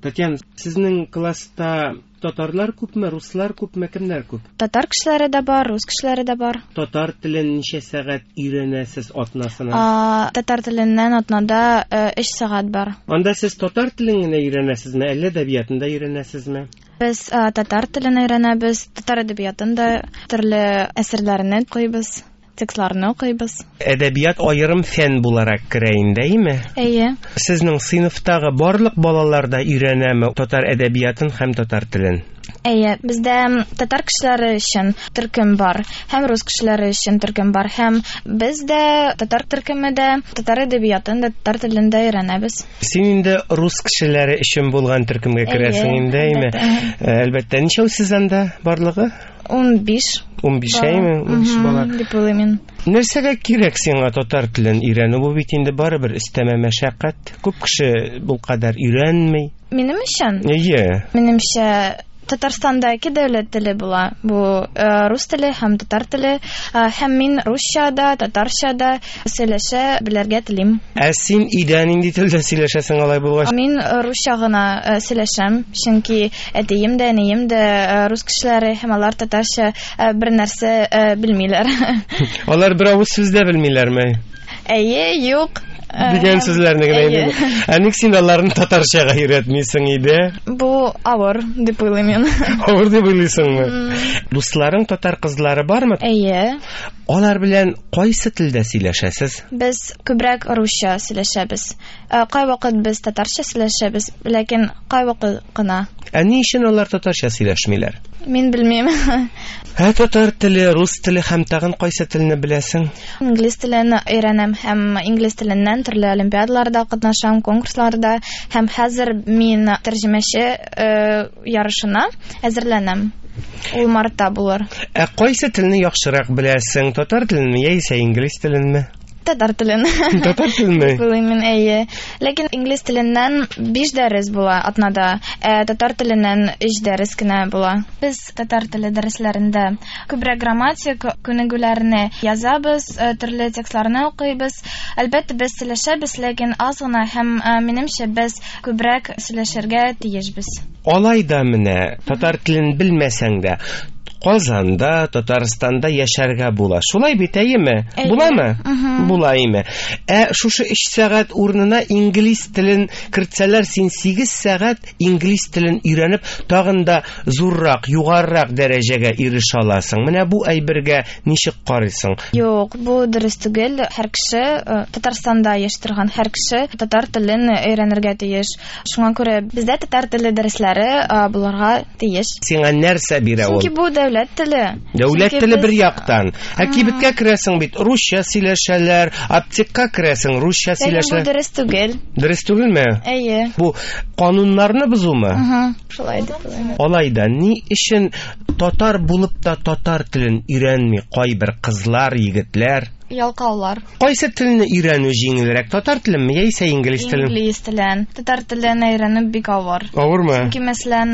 Татьяна, сезнең класста татарлар күпме, руслар күпме, кемнәр күп? Татар кешеләре дә бар, рус кешеләре дә бар. Татар телен ничә сәгать өйрәнәсез атнасына? Татар теленнән атнада 3 сәгать бар. Анда сез татар телен генә өйрәнәсезме, әллә әдәбиятын да өйрәнәсезме? Без татар телен өйрәнәбез, татар әдәбиятын да, төрле әсәрләрне укыйбыз, текстларны укыйбыз. Әдәбият аерым фән буларак керә инде, әйеме? Әйе. Сезнең сыйныфтагы барлык балалар да өйрәнәме татар әдәбиятын һәм татар телен? Әйе, бездә татар кешеләре өчен төркем бар, һәм рус кешеләре өчен төркем бар, һәм без дә татар төркеме дә татар әдәбиятын да, татар телен дә өйрәнәбез. Син инде рус кешеләре өчен булган төркемгә керәсең инде, әйеме? Әлбәттә. Әлбәттә, ничәү сез анда барлыгы? 15. 15, әйеме? 15 бала. Дип уйлыйм мин. Нәрсәгә кирәк сиңа татар телен өйрәнү? Бу бит инде барыбер өстәмә мәшәкать. Күп кеше бу кадәр өйрәнми. Минем өчен? Әйе. Минемчә, Татарстанда ике дәүләт теле була. Бу рус теле һәм татар теле. Һәм мин русча да, татарча да сөйләшә белергә телим. Ә син өйдә нинди телдә сөйләшәсең алай булгач? Мин русча гына сөйләшәм, чөнки әтием дә, әнием дә рус кешеләре һәм алар татарча бер нәрсә белмиләр. Алар бер авыз сүз дә белмиләрме? Әйе, юк. Дигән сүзләрне генә инде. Ә ник син аларны татарчага өйрәтмисең иде? Бу авыр дип уйлыйм мин. Авыр дип уйлыйсыңмы? Дусларың татар кызлары бармы? Әйе. Алар белән кайсы телдә сөйләшәсез? Без күбрәк русча сөйләшәбез. Кайвакыт без татарча сөйләшәбез, ләкин кайвакыт кына. Ә ни өчен алар татарча сөйләшмиләр? Мин белмим. Ә татар теле, рус теле һәм тагын кайсы телне беләсең? Инглиз телен өйрәнәм һәм инглиз теленнән төрле олимпиадаларда катнашам, конкурсларда һәм хәзер мин тәрҗемәче ярышына әзерләнәм. Ул мартта булыр. Ә кайсы телне яхшырак беләсең? Татар теленме яисә инглиз теленме? Татар телен. Татар теленме? Уйлыйм мин, әйе. Ләкин инглиз теленнән 5 дәрес була атнада, ә татар теленнән 3 дәрес кенә була. Без татар теле дәресләрендә күбрәк грамматик күнегүләрне язабыз, төрле текстларны укыйбыз. Әлбәттә, без сөйләшәбез, ләкин аз гына һәм, минемчә, без күбрәк сөйләшергә тиешбез. Алай да менә татар телен белмәсәң дә, Казанда, Татарстанда яшәргә була. Шулай бит, әйеме? Әйе. Буламы? Була, әйеме? Ә шушы 3 сәгать урынына инглиз телен кертсәләр, син 8 сәгать инглиз телен өйрәнеп, тагын да зуррак, югарырак дәрәҗәгә ирешә аласың. Менә бу әйбергә ничек карыйсың? Юк, бу дөрес түгел. Һәр кеше, Татарстанда яши торган һәр кеше татар телен өйрәнергә тиеш. Шуңа күрә бездә татар теле дәресләре булырга тиеш. Сиңа нәрсә бирә ул? Чөнки бу дәүләт теле. Дәүләт Чөнки теле без бер яктан. Ә кибеткә керәсең бит, русча сөйләшәләр, аптекка керәсең, русча Ләкин бу сөйләшәләр. дөрес түгел. Дөрес түгелме? Әйе. Бу кануннарны бозумы? Шулай дип уйлыйм. Алай да ни өчен татар булып та татар телен өйрәнми кайбер кызлар, егетләр? Ялкаулар. Кайсы телне өйрәнү җиңелрәк, татар теленме яисә инглиз телен? Инглиз телен. Татар телен өйрәнү бик авыр. Авырмы? Чөнки, мәсәлән,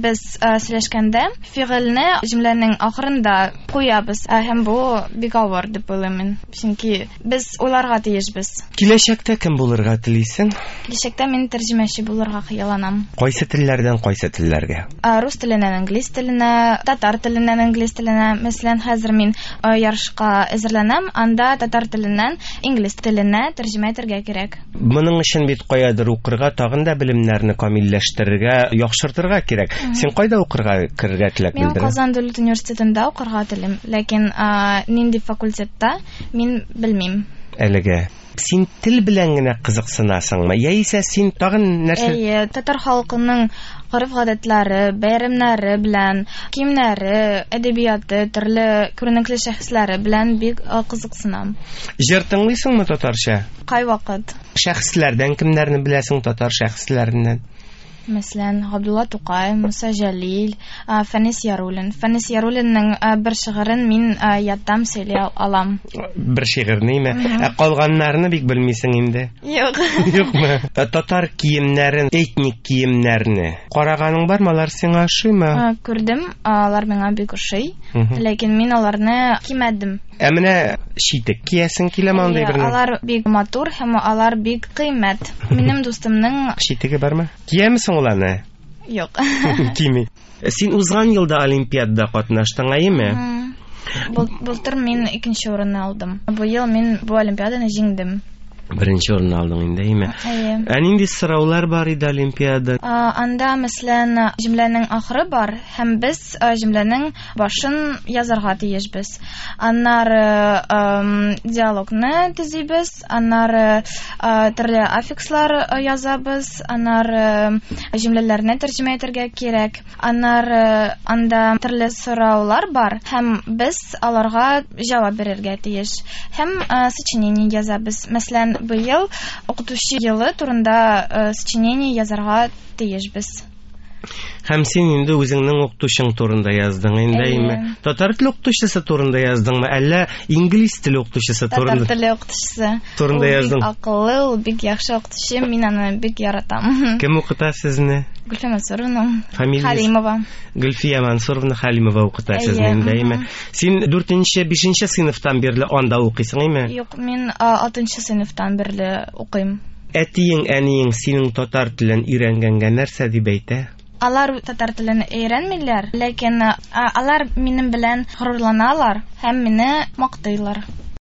без, сөйләшкәндә фигыльне җөмләнең ахырында куябыз. Һәм бу бик авыр дип уйлыйм мин. Чөнки без уйларга тиешбез. Киләчәктә кем булырга телисең? Киләчәктә мин тәрҗемәче булырга хыялланам. Кайсы телләрдән кайсы телләргә? Рус теленнән инглиз теленә, татар теленнән инглиз теленә. Мәсәлән, хәзер мин, ярышка әзерләнәм, анда татар теленнән инглиз теленә тәрҗемә итәргә кирәк. Моның өчен бит каядыр укырга, тагын да белемнәрне камилләштерергә, яхшыртырга кирәк. Син кайда укырга керергә теләк Мин белдерәсең? Казан дәүләт университетында укырга телим, ләкин, нинди факультетта мин белмим. Әлегә. Син тел белән генә кызыксынасыңмы? Яисә син тагын нәрсә? Әйе, татар халкының гореф-гадәтләре, бәйрәмнәре белән, киемнәре, әдәбияты, төрле күренекле шәхесләре белән бик кызыксынам. Җыр тыңлыйсыңмы татарча? Кайвакыт. Шәхесләрдән кемнәрне беләсең татар шәхесләреннән? Мәсәлән, Габдулла Тукай, Муса Җәлил, Фәнис Яруллин. Фәнис Яруллинның, бер шигырен мин, яттан сөйли алам. Бер шигырьнеме? Ә калганнарны бик белмисең инде. Юк. Юкмы? Татар киемнәрен, этник киемнәрне караганың бармы? Алар сиңа ошыймы? Күрдем, алар миңа бик ошый. Ләкин мин аларны кимәдем. Ә менә читек киясең киләме андый Әйе, берне? алар бик матур һәм алар бик кыйммәт. Минем дустымның читеге бармы? Киямесең соң ул аны? Юк. Кими. Син узган елда олимпиадада катнаштың, әйеме? Былтыр мин икенче урынны алдым. Быел мин бу олимпиаданы җиңдем. Беренче урынны алдың инде, әйеме? Әйе. Ә нинди сораулар бар иде олимпиада? Анда, мәсәлән, җөмләнең ахыры бар, һәм без җөмләнең башын язарга тиешбез. Аннары диалогны төзибез, аннары төрле аффикслар язабыз, аннары җөмләләрне тәрҗемә итәргә кирәк. Аннары анда төрле сораулар бар, һәм без аларга җавап бирергә тиеш. Һәм сочинение язабыз. Мәсәлән, быел укытучы елы турында сочинение язарга тиешбез. Һәм син инде үзеңнең укытучың турында яздың инде, әйеме? Татар теле укытучысы турында яздыңмы, әллә инглиз теле укытучысы турында? Татар теле укытучысы турында яздың. Ул бик акыллы, ул бик яхшы укытучы, мин аны бик яратам. Кем укыта сезне? Гөлфия Мансуровна. Фамилиясе? Халимова. Гөлфия Мансуровна Халимова укыта сезне инде, әйеме? Син 4-нче, 5-нче сыйныфтан бирле анда укыйсың, әйеме? Юк, мин 6-нчы сыйныфтан бирле укыйм. Әтиең, әниең синең татар телен өйрәнгәнгә нәрсә дип әйтә? Алар татар телен өйрәнмиләр, ләкин алар минем белән горурланалар һәм мине мактыйлар.